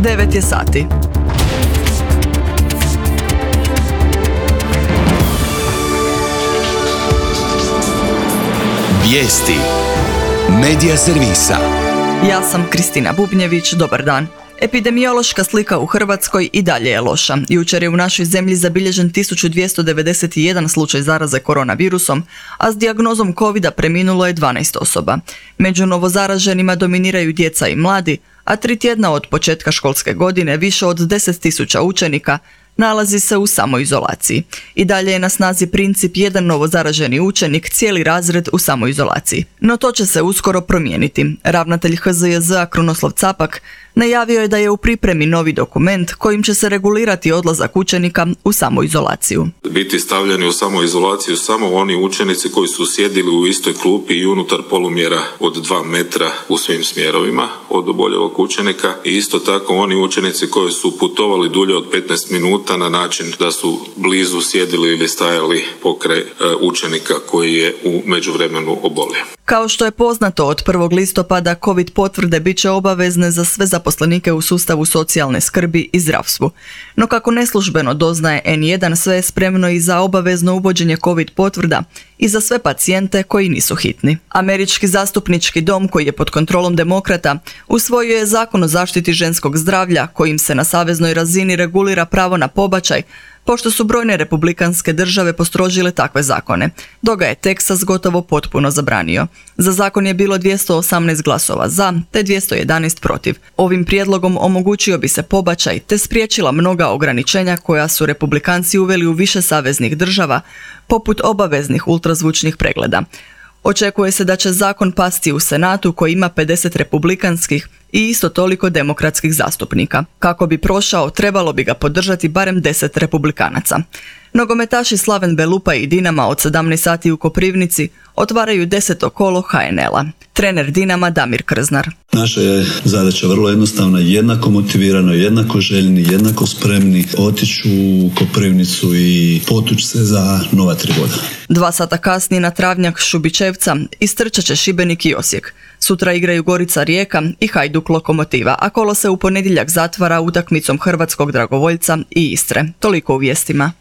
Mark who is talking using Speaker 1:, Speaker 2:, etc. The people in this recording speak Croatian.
Speaker 1: 9 je sati.
Speaker 2: Vijesti Medija servisa.
Speaker 1: Ja sam Kristina Bubnjević, dobar dan. Epidemiološka slika u Hrvatskoj i dalje je loša. Jučer je u našoj zemlji zabilježen 1291 slučaj zaraze koronavirusom, a s dijagnozom covida preminulo je 12 osoba. Među novozaraženima dominiraju djeca i mladi, a 3 tjedna od početka školske godine više od 10.000 učenika nalazi se u samoizolaciji. I dalje je na snazi princip jedan novozaraženi učenik, cijeli razred u samoizolaciji. No to će se uskoro promijeniti. Ravnatelj HZJZ-a Krunoslav Capak najavio je da je u pripremi novi dokument kojim će se regulirati odlazak učenika u samoizolaciju.
Speaker 3: Biti stavljeni u samoizolaciju samo oni učenici koji su sjedili u istoj klupi i unutar polumjera od 2 metra u svim smjerovima od oboljelog učenika i isto tako oni učenici koji su putovali dulje od 15 minuta na način da su blizu sjedili ili stajali pokraj učenika koji je u međuvremenu obolio.
Speaker 1: Kao što je poznato, od 1. listopada COVID potvrde bit će obavezne za sve zaposlenike u sustavu socijalne skrbi i zdravstvu. No kako neslužbeno doznaje N1, sve je spremno i za obavezno uvođenje COVID potvrda i za sve pacijente koji nisu hitni. Američki zastupnički dom, koji je pod kontrolom demokrata, usvojio je zakon o zaštiti ženskog zdravlja kojim se na saveznoj razini regulira pravo na pobačaj, pošto su brojne republikanske države postrožile takve zakone, dok ga je Teksas gotovo potpuno zabranio. Za zakon je bilo 218 glasova za, te 211 protiv. Ovim prijedlogom omogućio bi se pobačaj, te spriječila mnoga ograničenja koja su republikanci uveli u više saveznih država, poput obaveznih ultrazvučnih pregleda. Očekuje se da će zakon pasti u Senatu koji ima 50 republikanskih i isto toliko demokratskih zastupnika. Kako bi prošao, trebalo bi ga podržati barem 10 republikanaca. Nogometaši Slaven Belupa i Dinama od 17 sati u Koprivnici otvaraju 10. kolo HNL-a. Trener Dinama Damir Krznar.
Speaker 4: Naša je zadaća vrlo jednostavna, jednako motivirano, jednako željni, jednako spremni otići u Koprivnicu i potući se za nova 3 boda.
Speaker 1: 2 sata kasnije na travnjak Šubićevca istrčat će Šibenik i Osijek. Sutra igraju Gorica Rijeka i Hajduk Lokomotiva, a kolo se u ponedjeljak zatvara utakmicom hrvatskog dragovoljca i Istre. Toliko u vijestima.